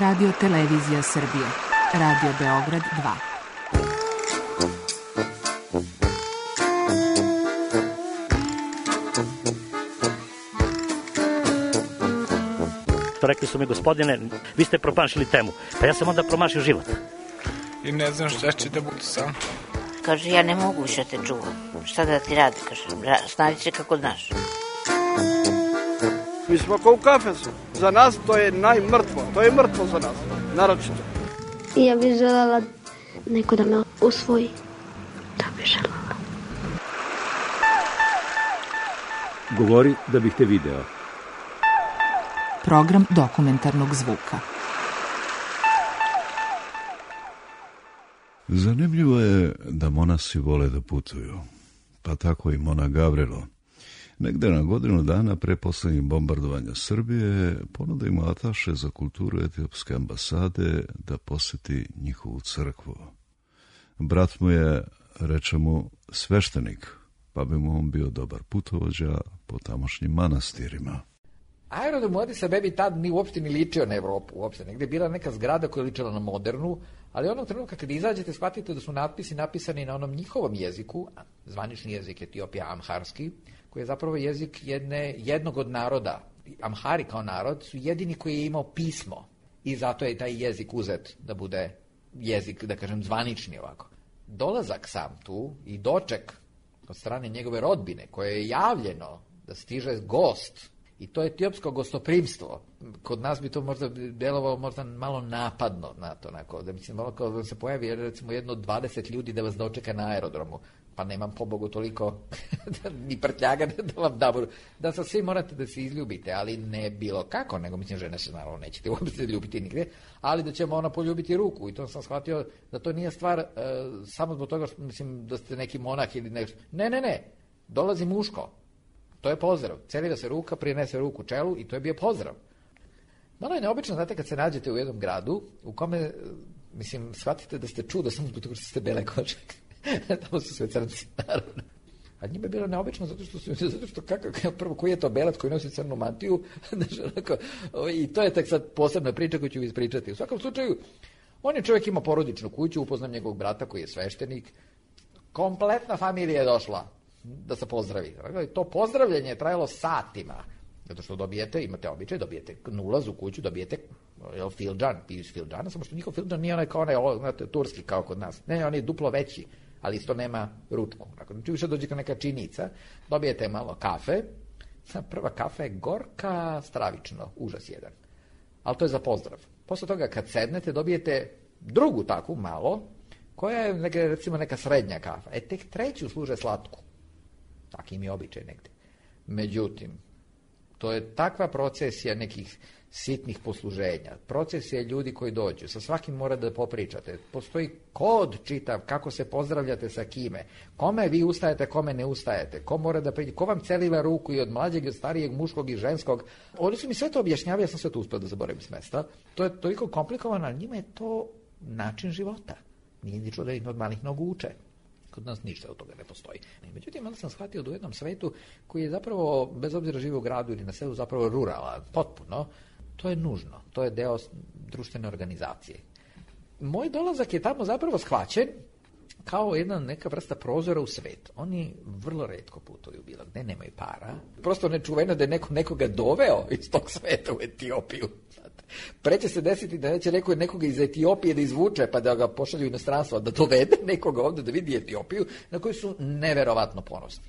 Radio Televizija Srbije. Radio Beograd 2. Rekli su mi, gospodine, vi ste promašili temu. Pa ja sam onda promašio život. I ne znam šta će da bude sam. Kaže, ja ne mogu više te čuvam. Šta da ti radi, kaže, snađi se kako znaš. Mi smo kao u kafesu. Za nas to je najmrtvo. To je mrtvo za nas, naročito. Ja bih želela neko da me usvoji. Da bih želela. Govori da bih te video. Program dokumentarnog zvuka. Zanimljivo je da monasi vole da putuju, pa tako i monah Gavrilo. Negde na godinu dana pre poslednjih bombardovanja Srbije ponuda im ataše za kulturu etiopske ambasade da poseti njihovu crkvu. Brat mu je, reče mu, sveštenik, pa bi mu on bio dobar putovođa po tamošnjim manastirima. Aerodrom u Addis Abebi tad ni uopšte ni ličio na Evropu, uopšte. Negde je bila neka zgrada koja je ličila na modernu, ali onog trenutka kad izađete shvatite da su natpisi napisani na onom njihovom jeziku, zvanični jezik Etiopija, amharski, koji je zapravo jezik jednog od naroda. Amhari kao narod su jedini koji je imao pismo i zato je taj jezik uzet da bude jezik, da kažem, zvanični ovako. Dolazak sam tu i doček od strane njegove rodbine koje je javljeno da stiže gost, i to je etiopsko gostoprimstvo. Kod nas bi to možda delovalo možda malo napadno na to, onako, da mislim, malo kao da se pojavi recimo jedno od 20 ljudi da vas dočeka na aerodromu, pa nemam pobogu toliko ni prtljaga da vam da sa svi morate da se izljubite, ali ne bilo kako, nego mislim, žene se naravno nećete uopšte ljubiti nigde, ali da ćemo ona poljubiti ruku, i to sam shvatio da to nije stvar samo zbog toga što mislim da ste neki monah ili nešto. Ne, dolazi muško. To je pozdrav. Celira se ruka, prinese ruku čelu i to je bio pozdrav. Malo je neobično, znate, kad se nađete u jednom gradu u kome, mislim, shvatite da ste čudo samo zbog toga što ste bele kože. Tamo su sve crnci, naravno. A njima je bilo neobično zato što prvo, koji je to belac koji nosi crnu mantiju, i to je tek sad posebna priča koju ću ispričati. U svakom slučaju, on je čovjek ima porodičnu kuću, upoznam njegovog brata koji je sveštenik, kompletna familija je došla da se pozdravi. To pozdravljanje je trajalo satima, zato što imate običaj, dobijete na ulazu u kuću, dobijete fildžan, piju iz fildžana, samo što njihov fildžan nije onaj kao onaj turski kao kod nas. Ne, on je duplo veći, ali isto nema ručku. Znači više dođe neka činica, dobijete malo kafe, prva kafa je gorka, stravično, užas jedan. Ali to je za pozdrav. Posle toga kad sednete dobijete drugu takvu malo, koja je recimo neka srednja kafa. Tek treću služe slatku. Takim je običaj negde. Međutim, to je takva procesija nekih sitnih posluženja, procesija ljudi koji dođu, sa svakim mora da popričate, postoji kod čitav kako se pozdravljate sa kime, kome vi ustajete, kome ne ustajete, ko mora da priđe, ko vam celiva ruku i od mlađeg i od starijeg, muškog i ženskog. Oni su mi sve to objašnjavali, ja sam sve to uspio da zaboravim s mesta. To je toliko komplikovano, ali njima je to način života. Nije ničo da ih od malih nogu uče. Kod nas ništa od toga ne postoji. Međutim, onda sam shvatio da u jednom svetu koji je zapravo, bez obzira živi u gradu ili na selu, zapravo ruralan, potpuno, to je nužno. To je deo društvene organizacije. Moj dolazak je tamo zapravo shvaćen kao neka vrsta prozora u svet. Oni vrlo retko putuju bilo gde, nemaju para. Prosto nečuveno da je neko nekoga doveo iz tog sveta u Etiopiju. Pre će se desiti da neće nekoga iz Etiopije da izvuče pa da ga pošalju u inostranstvo, da dovede nekoga ovde da vidi Etiopiju, na koju su neverovatno ponosni.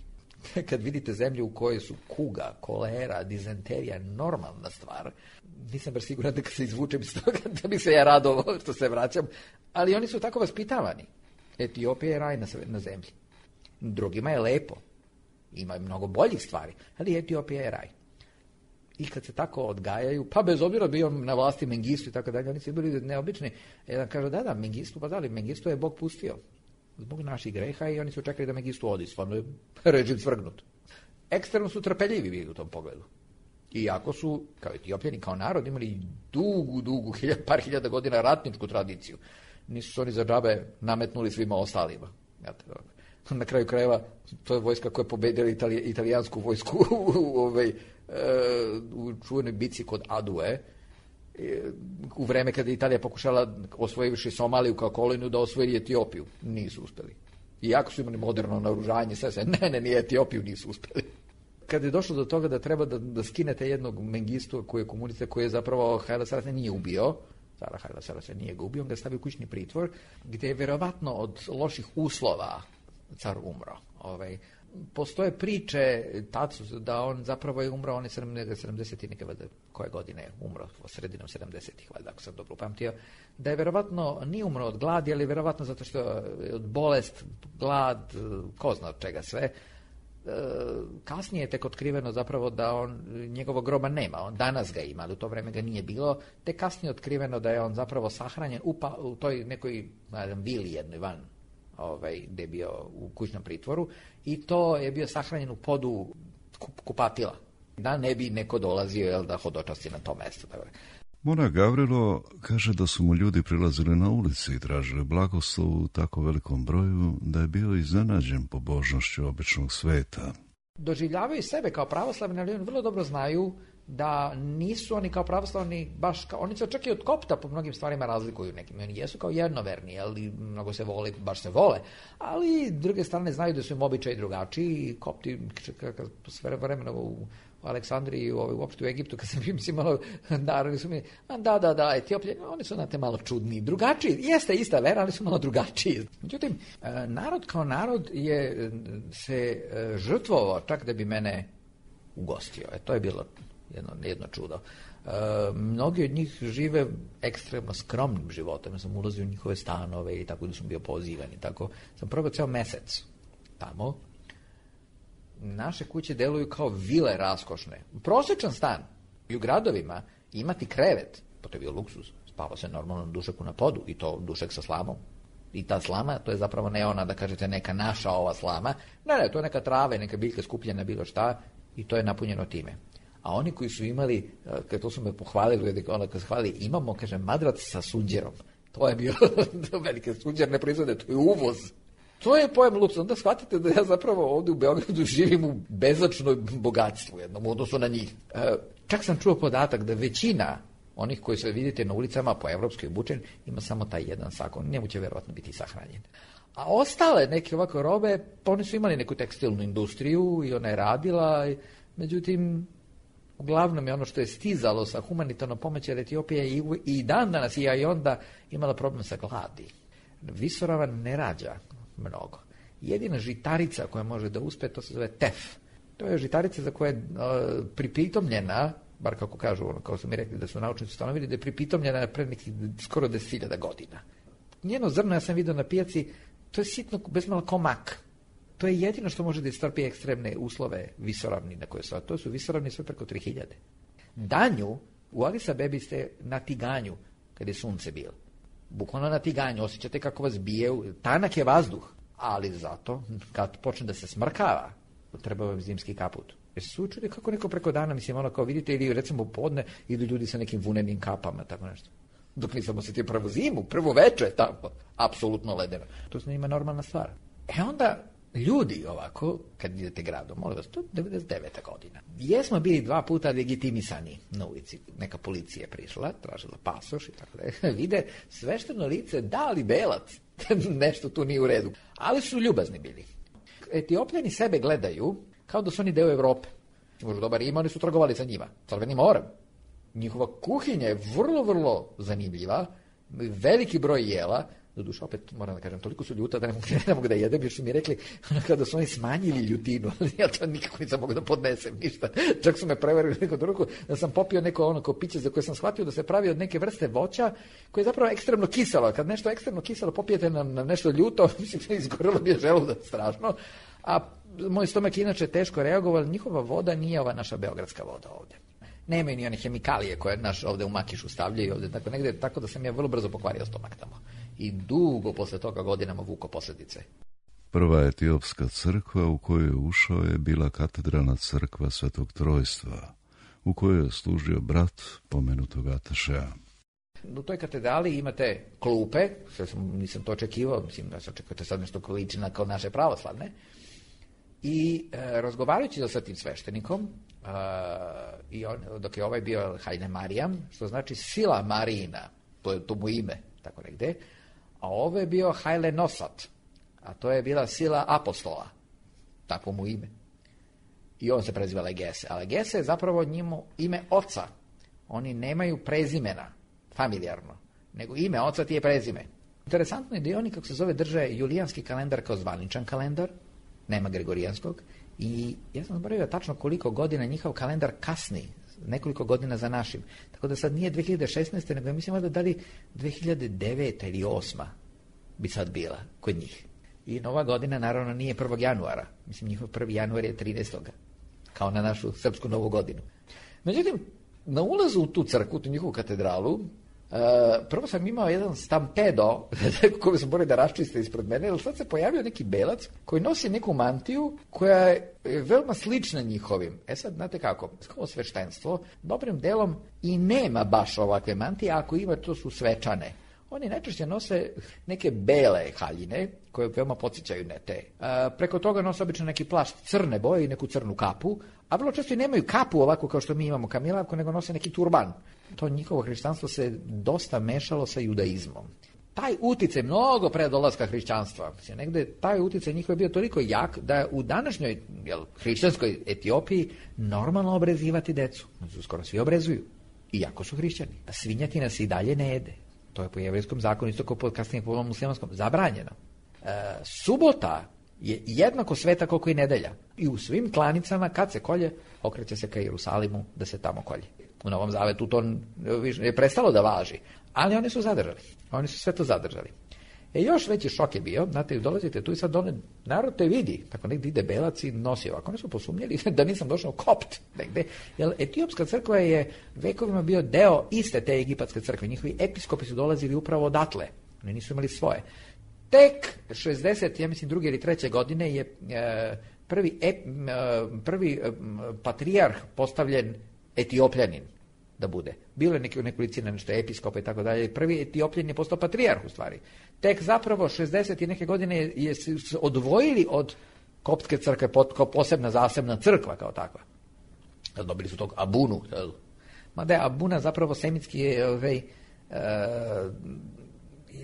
Kad vidite zemlju u kojoj su kuga, kolera, dizenterija normalna stvar, nisam baš siguran da kad se izvučem iz toga da bi se ja radovao što se vraćam, ali oni su tako vaspitavani. Etiopija je raj na zemlji. Drugima je lepo. Ima mnogo boljih stvari, ali Etiopija je raj. I kad se tako odgajaju, pa bez obzira bio na vlasti Mengistu i tako dalje, oni su bili neobični. Jedan kaže, da, Mengistu, pa da li, Mengistu je Bog pustio zbog naših greha i oni su čekali da Mengistu odi, stvarno je režim svrgnut. Eksterno su trpeljivi bili u tom pogledu. Iako su, kao Etiopljani, kao narod, imali dugu, par hiljada godina ratničku tradiciju. Nisu se oni za džabe nametnuli svima ostalima. Na kraju krajeva, to je vojska koja je pobedila italijansku vojsku u čuvenoj bici kod Adue, u vreme kada je Italija pokušala osvojivši Somaliju kao koloniju da osvoji Etiopiju. Nisu uspeli. Iako su imali moderno naoružanje, sve, nije Etiopiju nisu uspeli. Kada je došlo do toga da treba da skinete jednog Mengistu koji je komunista, koji je zapravo Haile Selassie nije ubio, Cara Haile Selassie nije ga ubio, on ga stavio u kućni pritvor, gdje je verovatno od loših uslova car umro. Postoje priče da on zapravo je umro, on je 70. koje godine je umro, sredinom 70-ih, valjda, ako sam dobro upamtio, da je verovatno nije umro od gladi, ali verovatno zato što je od bolest, glad, ko zna od čega sve. Kasnije je tek otkriveno zapravo da njegovog groba nema, on danas ga ima, ali u to vreme ga nije bilo, te kasnije je otkriveno da je on zapravo sahranjen u toj nekoj vili jednoj van, gdje je bio u kućnom pritvoru, i to je bio sahranjen u podu kupatila, da ne bi neko dolazio da hodočasti na to mesto. Mona Gavrilo kaže da su mu ljudi prilazili na ulici i tražili blagoslov u tako velikom broju da je bio iznenađen pobožnošću običnog sveta. Doživljavaju sebe kao pravoslavni, ali oni vrlo dobro znaju da nisu oni kao pravoslavni baš kao, oni se čak i od kopta po mnogim stvarima razlikuju nekim, oni jesu kao jednoverni, ali mnogo se vole, baš se vole, ali s druge strane znaju da su im običaji drugačiji i kopti sve vremena u Aleksandriji, uopšte u Egiptu, kad sam mislim malo narodi su mi, da, Etiopljani, oni su znate malo čudni, drugačiji, jeste ista vera, ali su malo drugačiji. Međutim, narod kao narod je se žrtvovao čak da bi mene ugostio. To je bilo jedno čudo. Mnogi od njih žive ekstremno skromnim životom. Ja sam ulazio u njihove stanove i tako da sam bio pozivan i tako. Sam probao ceo mesec tamo. Naše kuće deluju kao vile raskošne. Prosječan stan i u gradovima imati krevet, pa to je bio luksuz. Spava se normalno dušeku na podu i to dušek sa slamom. I ta slama, to je zapravo ne ona da kažete neka naša ova slama. Ne, to je neka trava, neka biljka skupljena, bilo šta i to je napunjeno time. A oni koji su imali, kad to su me pohvalili, onda kad se hvali, imamo, kaže, madrac sa sunđerom. To je bio velike sunđer, ne proizvode, to je uvoz. To je pojam luksuza. Onda shvatite da ja zapravo ovdje u Beogradu živim u bezočnom bogatstvu jednom u odnosu na njih. Čak sam čuo podatak da većina onih koji se vidite na ulicama po evropskoj obučen ima samo taj jedan sako. Njemu će verovatno biti sahranjen. A ostale neke ovako robe, pa oni su imali neku tekstilnu industriju i ona je radila, međutim, uglavnom je ono što je stizalo sa humanitarnom pomoći od Etiopije i dan danas i onda imala problem sa gladi. Visoravan ne rađa mnogo. Jedina žitarica koja može da uspe, to se zove tef. To je žitarica za koja je pripitomljena, bar kako kažu, kao su mi rekli da su naučnici ustanovili, da je pripitomljena pred nekih skoro 10.000 godina. Njeno zrno, ja sam vidio na pijaci, to je sitno, bezmalo ko mak. To je jedino što može da istrpi ekstremne uslove visoravni na koje su. To su visoravni sve preko 3000. Danju, u Adis Abebi ste na tiganju, kad je sunce bilo. Bukvalno na tiganju, osjećate kako vas bije, tanak je vazduh, ali zato, kad počne da se smrkava, treba vam zimski kaput. Jer se učili kako neko preko dana, mislim, ono kao vidite, ili recimo podne, idu ljudi sa nekim vunenim kapama, tako nešto. Dok nisam osjetio prvu zimu, prvo veče tamo, apsolutno ledeno. To se njima normalna stvar. Onda, ljudi ovako, kad idete gradom, molim vas, to je 99. godina. Jesmo bili 2 puta legitimisani na ulici. Neka policija je prišla, tražila pasoš i tako da vide svešteno lice, da li belac, nešto tu nije u redu. Ali su ljubazni bili. Etiopljani sebe gledaju kao da su oni deo Evrope. Možda dobar ima, oni su trgovali sa njima. Crvenim morem. Njihova kuhinja je vrlo, vrlo zanimljiva. Veliki broj jela. Doduše, opet moram da kažem, toliko su ljuta da ne mogu da jedem, jer su mi rekli kada su oni smanjili ljutinu, ali ja to nikako nisam mogu da podnesem ništa. Čak su me prevarili neku drugu, da sam popio neko ono piće za koje sam shvatio da se pravi od neke vrste voća koje je zapravo ekstremno kiselo. Kad nešto ekstremno kiselo popijete na nešto ljuto, mislim, izgorilo mi je želudac strašno, a moj stomak inače teško reagovao, njihova voda nije ova naša beogradska voda ovdje. Nemaju ni one hemikalije koje naš ovdje u Makišu stavljaju ovdje, tako negdje, tako da sam ja vrlo brzo pokvario stomak tamo. I dugo posle toga godinama vuko posljedice. Prva etiopska crkva u koju je ušao je bila katedralna crkva Svetog Trojstva, u kojoj je služio brat pomenutog Atašea. U toj katedrali imate klupe, što nisam to očekivao, mislim da se očekujete sad nešto ko liči kao naše pravoslavne, I razgovarajući sa tim sveštenikom, dok je ovaj bio Haile Mariam, što znači sila Marijina, to mu ime, tako negde, a ovo je bio Haile Nosat, a to je bila sila apostola, tako mu ime. I on se preziva Legese, a Legese je zapravo njemu ime oca. Oni nemaju prezimena, familijarno, nego ime oca ti je prezime. Interesantno je da i oni, kako se zove, drže julijanski kalendar kao zvaničan kalendar, nema gregorijanskog, i ja sam zaboravio tačno koliko godina njihov kalendar kasni, nekoliko godina za našim. Tako da sad nije 2016. nego mislim da li 2009. ili 2008. bi sad bila kod njih. I nova godina naravno nije 1. januara. Mislim, njihov 1. januar je 13. kao na našu srpsku novu godinu. Međutim, na ulazu u tu crkvu, tu njihovu katedralu, prvo sam imao jedan stampedo koji sam morao da raščiste ispred mene, jer sad se pojavio neki belac koji nosi neku mantiju koja je veoma slična njihovim. Sad, znate kako, kao sveštenstvo, dobrim delom i nema baš ovakve mantije, ako ima, to su svečane. Oni najčešće nose neke bele haljine, koje veoma podsjećaju na te. Preko toga nose obično neki plašt crne boje i neku crnu kapu, a vrlo često i nemaju kapu ovako kao što mi imamo kamilavku, nego nose neki turban. To njihovo hrišćanstvo se dosta mešalo sa judaizmom. Taj uticaj mnogo pre dolaska hrišćanstva, negde taj uticaj njihov je bio toliko jak da u današnjoj hrišćanskoj Etiopiji normalno obrezivati decu. Skoro svi obrezuju, iako su hrišćani. Svinjatina se i dalje ne jede. To je po jevrejskom zakonu, isto kao kasnije po muslimanskom, zabranjeno. Subota je jednako sveta koliko i nedelja. I u svim klanicama, kad se kolje, okreće se ka Jerusalimu da se tamo kolje. U Novom Zavetu to je prestalo da važi, ali oni su zadržali. Oni su sve to zadržali. Još veći šok je bio, znate, dolazite tu i sad narod te vidi, tako negdje ide belac i nosi ovako. Oni su posumnjali da nisam došao kopt negde, jer etiopska crkva je vekovima bio deo iste te egipatske crkve. Njihovi episkopi su dolazili upravo odatle. Oni nisu imali svoje. Tek 60, ja mislim, 2. ili 3. godine je prvi patrijarh postavljen Etiopljanin da bude. Bilo je nekolicina nešto episkopa i tako dalje. Prvi Etiopljanin je postao patrijarh u stvari. Tek zapravo 60 i neke godine je se odvojili od koptske crkve kao posebna zasebna crkva kao takva. Dobili su tog Abunu. Mada je Abuna zapravo semitski je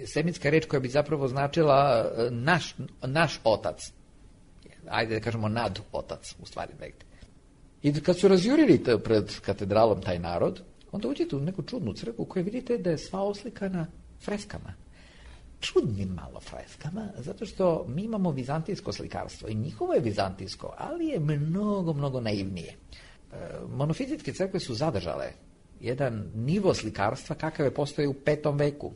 semitska reč koja bi zapravo značila naš otac. Ajde da kažemo nad otac u stvari negde. I kad su razjurili pred katedralom taj narod, onda uđete u neku čudnu crkvu koju vidite da je sva oslikana freskama. Čudnim malo freskama, zato što mi imamo vizantijsko slikarstvo i njihovo je vizantijsko, ali je mnogo, mnogo naivnije. Monofizitske crkve su zadržale jedan nivo slikarstva kakav je postojao u 5. veku.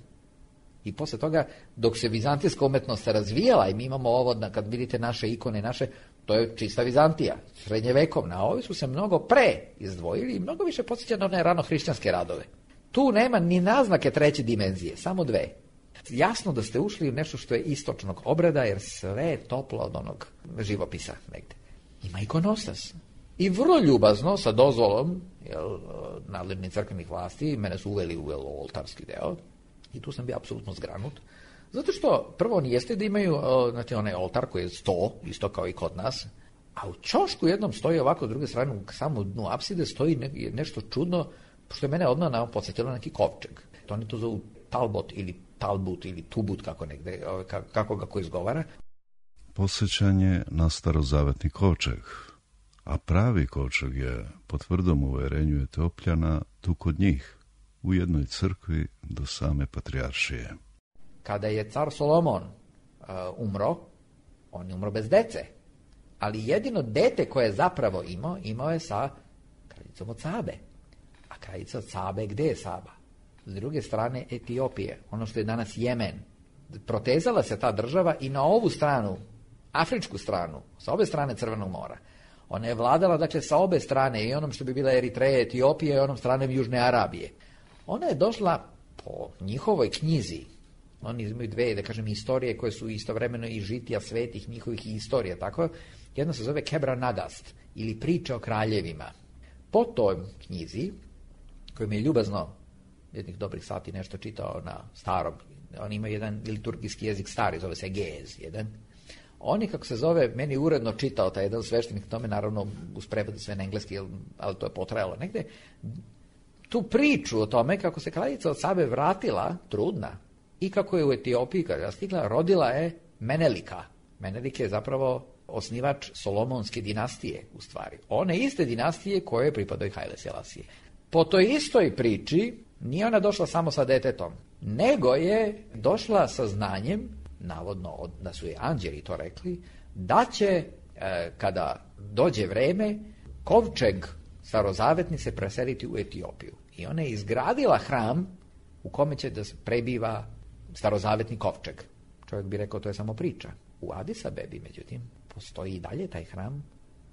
I posle toga, dok se vizantijska umetnost razvijala i mi imamo ovo, kad vidite naše ikone, to je čista Vizantija, srednjevekovna, a ovi su se mnogo pre izdvojili i mnogo više podsjeća na one rano-hrišćanske radove. Tu nema ni naznake 3. dimenzije, samo 2. Jasno da ste ušli u nešto što je istočnog obrada, jer sve je toplo od onog živopisa negde. Ima ikonostas. I vrlo ljubazno, sa dozvolom nadležnih crkvenih vlasti, mene su uveli u oltarski deo, i tu sam bio apsolutno zgranut. Zato što prvo oni jeste da imaju onaj oltar koji je 100, isto kao i kod nas, a u ćošku jednom stoji ovako, s druge strane, u samom dnu apside stoji nešto čudno, što je mene odmah podsjetilo neki kovčeg. To oni to zovu Talbot ili Talbut ili Tubut, kako ga ko izgovara. Posjećanje na starozavetni kovčeg, a pravi kovčeg je, po tvrdom uverenju Etiopljana, tu kod njih, u jednoj crkvi do same patrijaršije. Kada je car Solomon umro, on je umro bez dece, ali jedino dete koje je zapravo imao je sa kraljicom od Sabe. A kraljica od Sabe, gde je Saba? S druge strane Etiopije, ono što je danas Jemen. Protezala se ta država i na ovu stranu, afričku stranu, sa obe strane Crvenog mora. Ona je vladala, dakle, sa obe strane, i onom što bi bila Eritreja, Etiopija, i onom stranem Južne Arabije. Ona je došla po njihovoj knjizi. Oni imaju 2, da kažem, istorije koje su istovremeno i žitija svetih njihovih istorija. Tako, jedna se zove Kebra Nagast, ili priče o kraljevima. Po toj knjizi, koju mi je ljubazno jednih dobrih sati nešto čitao na starom, oni imaju jedan liturgijski jezik stari, zove se Ge'ez jedan. Oni, kako se zove, meni uredno čitao taj jedan sveštenik, tome naravno uz prevod sve na engleski, ali to je potrajalo negde, tu priču o tome kako se kraljica od Sabe vratila, trudna, i kako je u Etiopiji, kada je stigla, rodila je Menelika. Menelik je zapravo osnivač Solomonske dinastije, u stvari. One iste dinastije koje pripadaju Haile Selasije. Po toj istoj priči nije ona došla samo sa detetom, nego je došla sa znanjem, navodno da su je anđeli to rekli, da će, kada dođe vreme, kovčeg starozavetnice preseliti u Etiopiju. I ona je izgradila hram u kome će da prebiva starozavetni kovčeg. Čovjek bi rekao to je samo priča. U Adis Abebi, međutim, postoji i dalje taj hram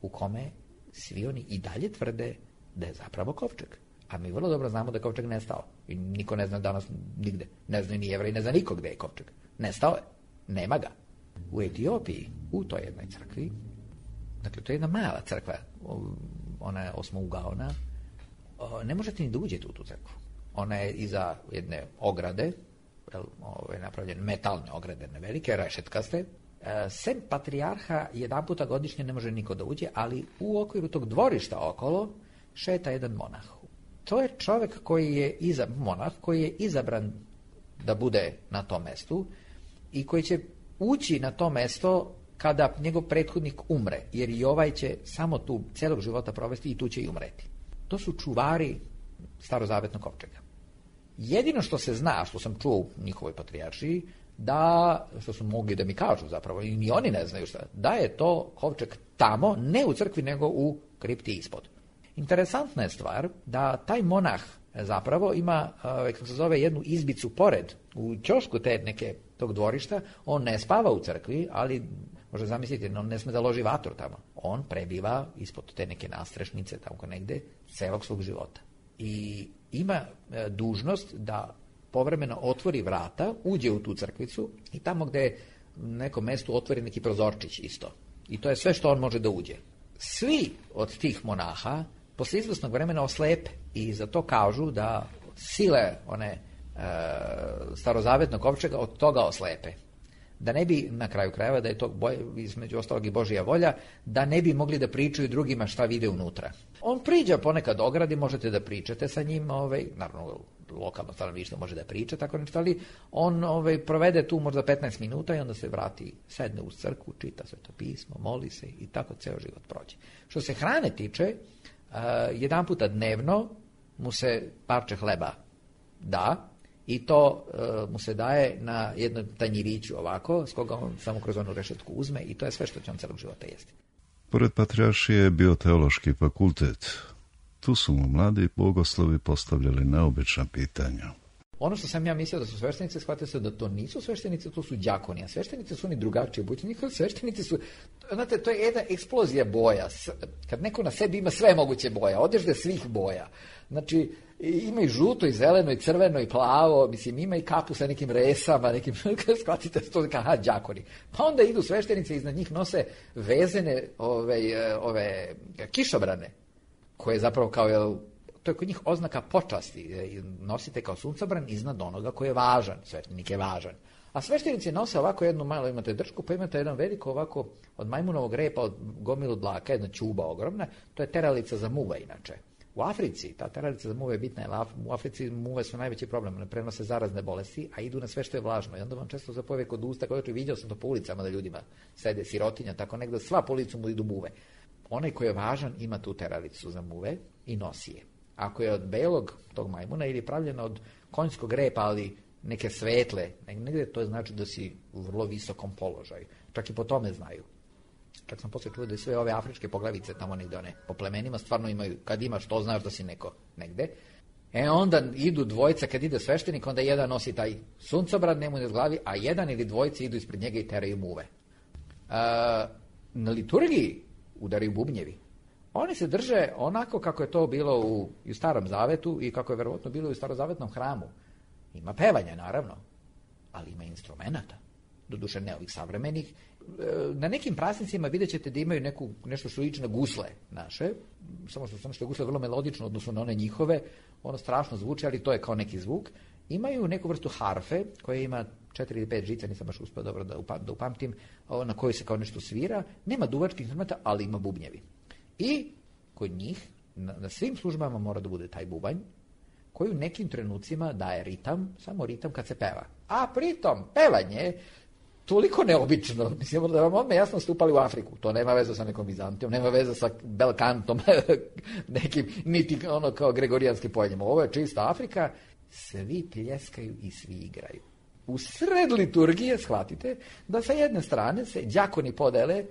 u kome svi oni i dalje tvrde da je zapravo kovčeg. A mi vrlo dobro znamo da je kovčeg nestao. I niko ne zna danas nigde. Ne zna ni Jevrej, ne zna niko gde je kovčeg. Nestao je. Nema ga. U Etiopiji, u toj jednoj crkvi, dakle, to je jedna mala crkva, ona je osmougaona, ne možete ni da uđete u tu crkvu. Ona je iza jedne ograde, napravljene metalne ograde, velike, rešetkaste. Sem patrijarha jedan puta godišnje ne može niko da uđe, ali u okviru tog dvorišta okolo šeta jedan monah. To je čovjek koji je monah koji je izabran da bude na tom mestu i koji će ući na to mesto kada njegov prethodnik umre, jer i ovaj će samo tu celog života provesti i tu će i umreti. To su čuvari starozavetnog kovčega. Jedino što se zna, što sam čuo u njihovoj patrijaršiji, da, što su mogli da mi kažu zapravo, i ni oni ne znaju šta, da je to kovčeg tamo, ne u crkvi, nego u kripti ispod. Interesantna je stvar da taj monah zapravo ima, kako se zove, jednu izbicu pored, u ćošku tog dvorišta. On ne spava u crkvi, ali može zamisliti, on ne sme da loži vatru tamo. On prebiva ispod te neke nastrešnice tamo negde celog svog života. I ima dužnost da povremeno otvori vrata, uđe u tu crkvicu i tamo gde na nekom mestu otvori neki prozorčić isto. I to je sve što on može da uđe. Svi od tih monaha posle izvesnog vremena oslepe i za to kažu da sile one starozavetnog kovčega od toga oslepe. Da ne bi, na kraju krajeva, da je to između ostalog i Božja volja, da ne bi mogli da pričaju drugima šta vide unutra. On priđa ponekad ogradi, možete da pričate sa njim, naravno lokalno stanovništvo može da priča, tako nešto, ali on provede tu možda 15 minuta i onda se vrati, sedne uz crkvu, čita Sveto pismo, moli se i tako ceo život prođe. Što se hrane tiče, jedan puta dnevno mu se parče hleba da, i to mu se daje na jednom tanjiriću ovako, s koga on samo kroz onu rešetku uzme i to je sve što će on celog života jesti. Pored patrijaršije je bio teološki fakultet. Tu su mu mladi bogoslovi postavljali neobična pitanja. Ono što sam ja mislio da su sveštenice, shvatio se da to nisu sveštenice, to su đakoni, a sveštenice su oni drugačije obučeni. Sveštenici su, znate, to je jedna eksplozija boja. Kad neko na sebi ima sve moguće boja, odežde svih boja. Znači, ima i žuto, i zeleno, i crveno, i plavo, mislim, ima i kapu sa nekim resama, nekim, shvatite, to je đakoni. Pa onda idu sveštenice, iznad njih nose vezene ove kišobrane, koje zapravo kao, to je kod njih oznaka počasti, nosite kao suncobran iznad onoga koji je važan, sveštenik je važan. A sveštenici nose ovako jednu malo, imate dršku, pa imate jedan veliko ovako od majmunovog repa, od gomilu dlaka, jedna ćuba ogromna, to je teralica za muve inače. U Africi, ta teralica za muve je bitna, jer u Africi muve su najveći problem, ne prenose zarazne bolesti, a idu na sve što je vlažno. I onda vam često zapojeve kod usta, vidio sam to po ulicama da ljudima sede sirotinja, tako negdje sva po ulicu mu idu muve. Onaj koji je važan ima tu teralicu za muve i nosi je. Ako je od belog tog majmuna ili pravljena od konjskog repa, ali neke svetle, negdje to znači da si u vrlo visokom položaju. Čak i po tome znaju. Čak sam posle čuo da sve ove afričke poglavice tamo negdje one po plemenima stvarno imaju, kad imaš to znaš da si neko negde. Onda idu dvojica, kad ide sveštenik, onda jedan nosi taj suncobran, njemu na glavi, a jedan ili dvojica idu ispred njega i teraju muve. Na liturgiji udaraju bubnjevi. Oni se drže onako kako je to bilo u Starom Zavetu i kako je verovatno bilo u starozavetnom hramu. Ima pevanja, naravno, ali ima instrumenta. Doduše ne ovih savremenih. Na nekim praznicima vidjet ćete da imaju nešto što liči na gusle naše, samo što je gusle vrlo melodično odnosno na one njihove, ono strašno zvuči, ali to je kao neki zvuk. Imaju neku vrstu harfe koja ima 4 ili 5 žica, nisam baš uspio dobro da upamtim, na kojoj se kao nešto svira. Nema duvačkih instrumenta, ali ima bubnjevi. I kod njih, na svim službama mora da bude taj bubanj, koji u nekim trenucima daje ritam, samo ritam kad se peva. A pritom, pevanje toliko neobično, mislim da vam odmah jasno ste upali u Afriku, to nema veze sa nekom Bizantijom, nema veze sa belkantom, nekim, niti ono kao gregorijanskim poljima. Ovo je čista Afrika, svi pljeskaju i svi igraju. U sred liturgije, shvatite, da sa jedne strane se đakoni podele,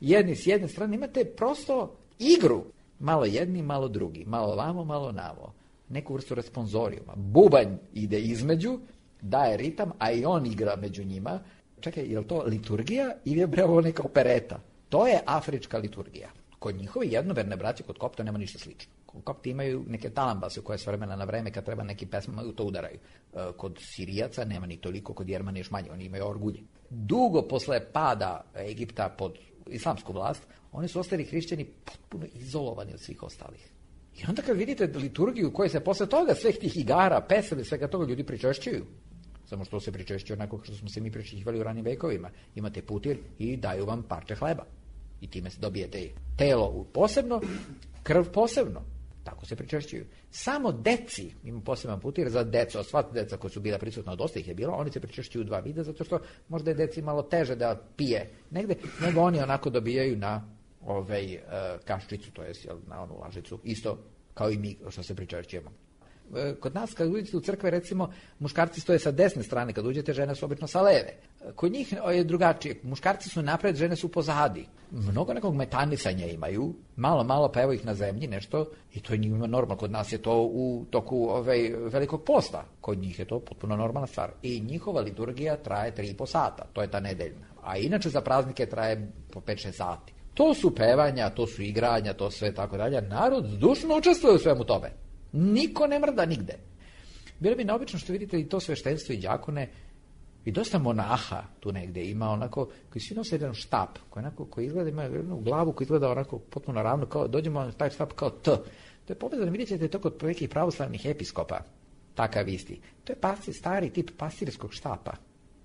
jedni s jedne strane, imate prosto igru, malo jedni, malo drugi, malo vamo, malo namo, neku vrstu responzorijuma. Bubanj ide između, daje ritam, a i on igra među njima. Čekaj, je li to liturgija ili je ovo neka opereta? To je afrička liturgija. Kod njihove jednoverne braće, kod Kopta nema ništa slično. Kod Kopta imaju neke talambase koje s vremena na vreme kad treba neki pesma to udaraju. Kod Sirijaca nema ni toliko, kod Jermana još manje, oni imaju orgulje. Dugo posle pada Egipta pod islamsku vlast, oni su ostali hrišćani potpuno izolovani od svih ostalih. I onda kad vidite liturgiju koja se posle toga, svih tih igara, pesama, svega toga ljudi pričešćuju. Samo što se pričešćuje onako što smo se mi pričešćivali u ranim vekovima. Imate putir i daju vam parče hleba. I time se dobijete telo posebno, krv posebno. Tako se pričešćuju. Samo deci, ima poseban putir za decu, a sva deca koja su bila prisutna, dosta ih je bilo, oni se pričešćuju dva vida, zato što možda je deci malo teže da pije negde, nego oni onako dobijaju na kaščicu, to jest na onu lažicu, isto kao i mi što se pričešćujemo. Kod nas kad uđete u crkve, recimo, muškarci stoje sa desne strane, kad uđete, žene su obično sa leve. Kod njih je drugačije. Muškarci su napred, žene su pozadi. Mnogo nekog metanisanja imaju, malo pa evo ih na zemlji nešto i to je njima normalno. Kod nas je to u toku velikog posta. Kod njih je to potpuno normalna stvar. I njihova liturgija traje 3,5 sata. To je ta nedeljna. A inače za praznike traje po 5-6 sati. To su pevanja, to su igranja, to sve tako dalje. Narod zdušno učestvuje u svemu tome. Niko ne mrda nigde. Bilo bi neobično što vidite i to sveštenstvo i đakone i dosta monaha tu negde ima onako, koji svi nose jedan štap, koji izgleda, ima jednu glavu koji izgleda onako potpuno ravno, kao, dođemo na taj štap kao T. To je povezano, vidjet ćete to kod nekih pravoslavnih episkopa, takav isti. To je stari tip pastirskog štapa.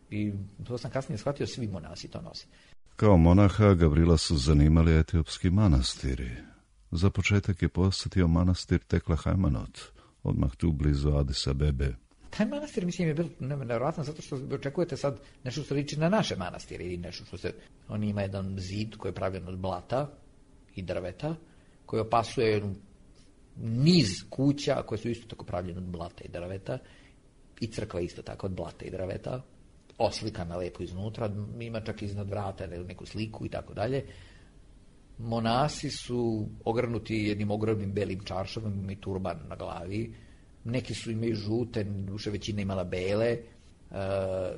I to sam kasnije shvatio, svi monasi to nose. Kao monaha Gavrila su zanimali etiopski manastiri. Za početak je posjetio manastir Tekla Hajmanot, odmah tu blizu Adis Abebe. Taj manastir, mislim, je bilo nevjerojatno zato što očekujete sad nešto što liči na naše manastire ili nešto što se... On ima jedan zid koji je pravljen od blata i drveta, koji opasuje niz kuća koje su isto tako pravljene od blata i drveta i crkva isto tako od blata i drveta, oslikana lepo iznutra, ima čak iznad vrata neku sliku i tako dalje. Monasi su ogrnuti jednim ogromnim belim čaršavom i turban na glavi. Neki su imaju žute, duše većina imala bele.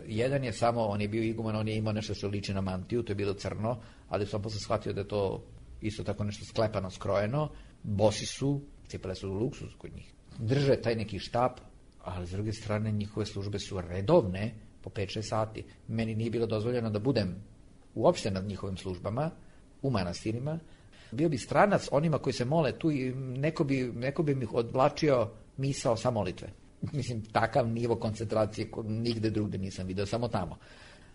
Jedan je samo, on je bio iguman, on je imao nešto što liči na mantiju, to je bilo crno, ali sam posle shvatio da je to isto tako nešto sklepano, skrojeno. Bosi su, cipele su luksuz kod njih. Drže taj neki štap, ali s druge strane njihove službe su redovne po 5-6 sati. Meni nije bilo dozvoljeno da budem uopšte nad njihovim službama, u manastirima. Bio bi stranac onima koji se mole tu i neko bi mi odvlačio misao sa molitve. Mislim, takav nivo koncentracije nigde drugde nisam vidio, samo tamo.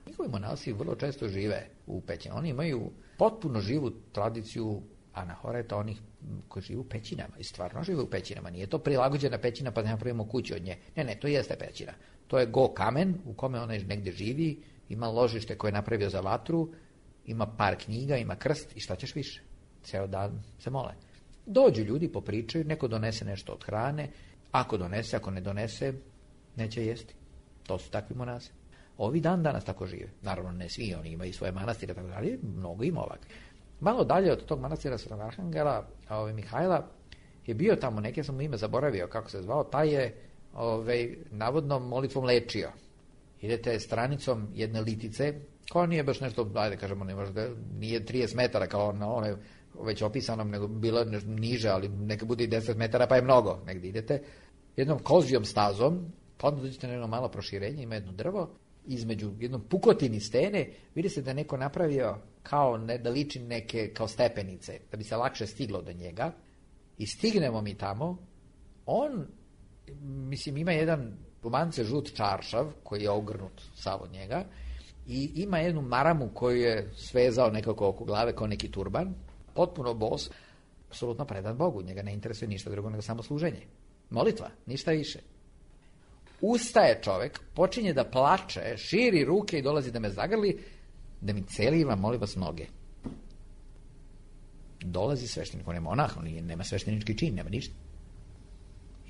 Njihovi monasi vrlo često žive u pećinama. Oni imaju potpuno živu tradiciju anahoreta, onih koji žive u pećinama. I stvarno žive u pećinama. Nije to prilagođena pećina pa da napravimo kuću od nje. Ne, to jeste pećina. To je go kamen u kome ona negde živi, ima ložište koje je napravio za vatru, ima par knjiga, ima krst i šta ćeš više? Ceo dan se mole. Dođu ljudi, popričaju, neko donese nešto od hrane, ako donese, ako ne donese, neće jesti. To su takvi monasi. Ovi danas tako žive. Naravno, ne svi, oni imaju svoje manastire, tako dalje, mnogo ima ovakve. Malo dalje od tog manastira Svetog Arhangela, Mihajla, je bio tamo, neke sam mu ime zaboravio, kako se zvao, taj je navodno molitvom lečio. Idete stranicom jedne litice, koja nije baš nešto, ajde kažemo, nije 30 metara kao na one već opisanom, nego bilo niže, ali neka bude i 10 metara, pa je mnogo. Negdje idete jednom kozijom stazom, pa onda dođete na jedno malo proširenje, ima jedno drvo, između jednom pukotini stene, vidi se da neko napravio kao, da liči neke kao stepenice, da bi se lakše stiglo do njega, i stignemo mi tamo, on, mislim, ima jedan Turban je žut čaršav koji je ogrnut sav od njega i ima jednu maramu koju je svezao nekako oko glave kao neki turban, potpuno bos, apsolutno predan Bogu, njega ne interesuje ništa drugo nego samo služenje. Molitva, ništa više. Ustaje čovek, počinje da plače, širi ruke i dolazi da me zagrli, da mi celiva, molim vas, noge. Dolazi sveštenik, on je monah, nema sveštenički čin, nema ništa.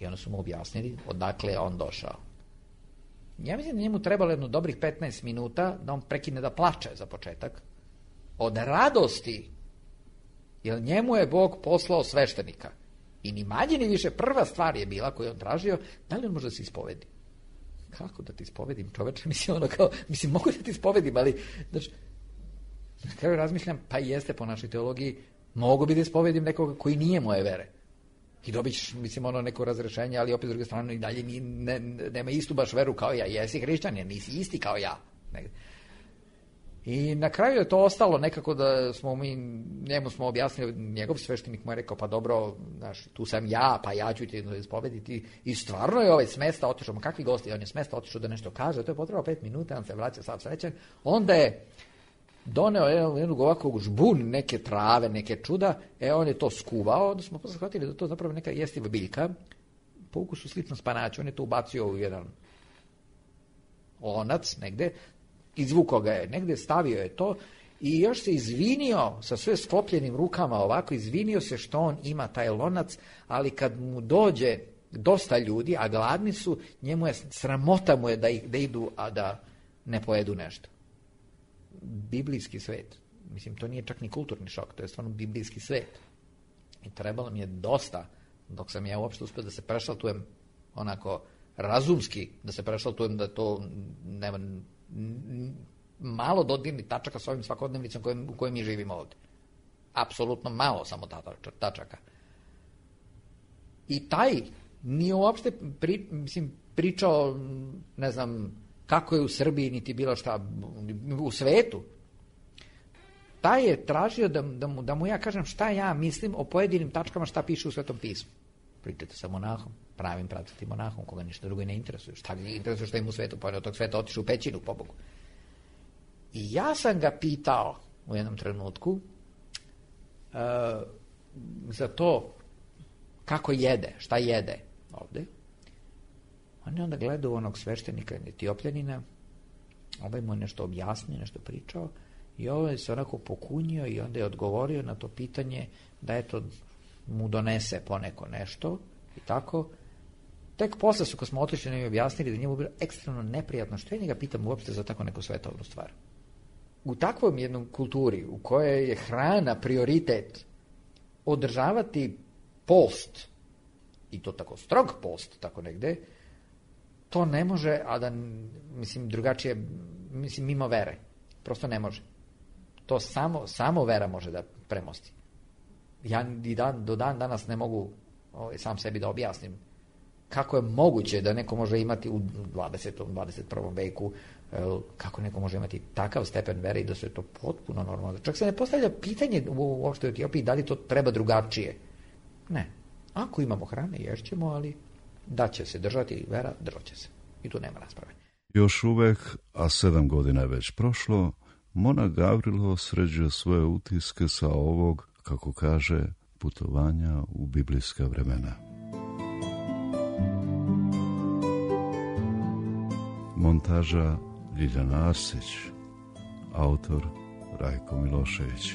I onda su mu objasnili odakle je on došao. Ja mislim da njemu trebalo jedno dobrih 15 minuta da on prekine da plače za početak. Od radosti, jer njemu je Bog poslao sveštenika. I ni manje ni više prva stvar je bila koju on tražio, da li on može da se ispovedi? Kako da ti ispovedim, čoveče? Mislim, mogu da ti ispovedim, ali znači, na kraju razmišljam, pa jeste po našoj teologiji, mogu bi da ispovedim nekoga koji nije moje vere. I dobit ćeš, mislim, neko razrešenje, ali opet s druge strane i dalje nema istu baš veru kao ja. Jesi hrišćanin, nisi isti kao ja. I na kraju je to ostalo nekako da njemu smo objasnili, njegov sveštenik mu je rekao, pa dobro, znaš, tu sam ja, pa ja ću ti ispovediti. I stvarno je s mesta otišao, ma kakvi gosti, on je s mesta otišao da nešto kaže, to je potrebalo 5 minuta, on se vraća sav srećan. Onda je doneo jednog ovakvog žbun, neke trave, neke čuda, on je to skuvao, onda smo posle shvatili da to zapravo neka jestiva biljka, po ukusu slično spanaću, on je to ubacio u jedan lonac negde, izvukao ga je negde, stavio je to i još se izvinio sa sve sklopljenim rukama ovako, izvinio se što on ima taj lonac, ali kad mu dođe dosta ljudi, a gladni su, njemu je sramota mu je da idu, a da ne pojedu nešto. Biblijski svet. Mislim, to nije čak ni kulturni šok, to je stvarno biblijski svet. I trebalo mi je dosta, dok sam ja uopšte uspio da se prešaltujem onako razumski, da se prešaltujem da to nema malo dodirnih tačaka s ovim svakodnevnicom u kojoj mi živimo ovde. Apsolutno malo samo tačaka. I taj nije uopšte pričao, ne znam, kako je u Srbiji, niti bilo šta u svetu. Taj je tražio da mu ja kažem šta ja mislim o pojedinim tačkama šta piše u Svetom pismu. Pričajte sa monahom, pravim pravcatim monahom, koga ništa drugo ne interesuje. Šta ga interesuje šta im u svetu, pa od tog sveta otišu u pećinu, pobogu. I ja sam ga pitao u jednom trenutku za to kako jede, šta jede ovde. On je onda gledao onog sveštenika Etiopljanina, ovaj mu je nešto objasnio, nešto pričao i ovaj se onako pokunio i onda je odgovorio na to pitanje da eto mu donese poneko nešto i tako. Tek posle su, kad smo otišli, nam je objasnili da njemu bilo ekstremno neprijatno što ja njega pitam uopšte za tako neku svetovnu stvar. U takvom jednom kulturi u kojoj je hrana prioritet, održavati post, i to tako strog post, tako negde, to ne može, a da, mislim, drugačije, mislim, mimo vere. Prosto ne može. To samo vera može da premosti. Ja i do dan danas ne mogu sam sebi da objasnim kako je moguće da neko može imati u 20. 21. veku, kako neko može imati takav stepen vere i da se to potpuno normalno. Čak se ne postavlja pitanje uopšte u Etiopiji da li to treba drugačije. Ne. Ako imamo hrane, ješćemo, ali da će se držati vera, držat će se. I tu nema rasprave. Još uvek, a 7 godina je već prošlo, monah Gavrilo sređuje svoje utiske sa ovog, kako kaže, putovanja u biblijska vremena. Montaža Ljiljana Arsić, autor Rajko Milošević.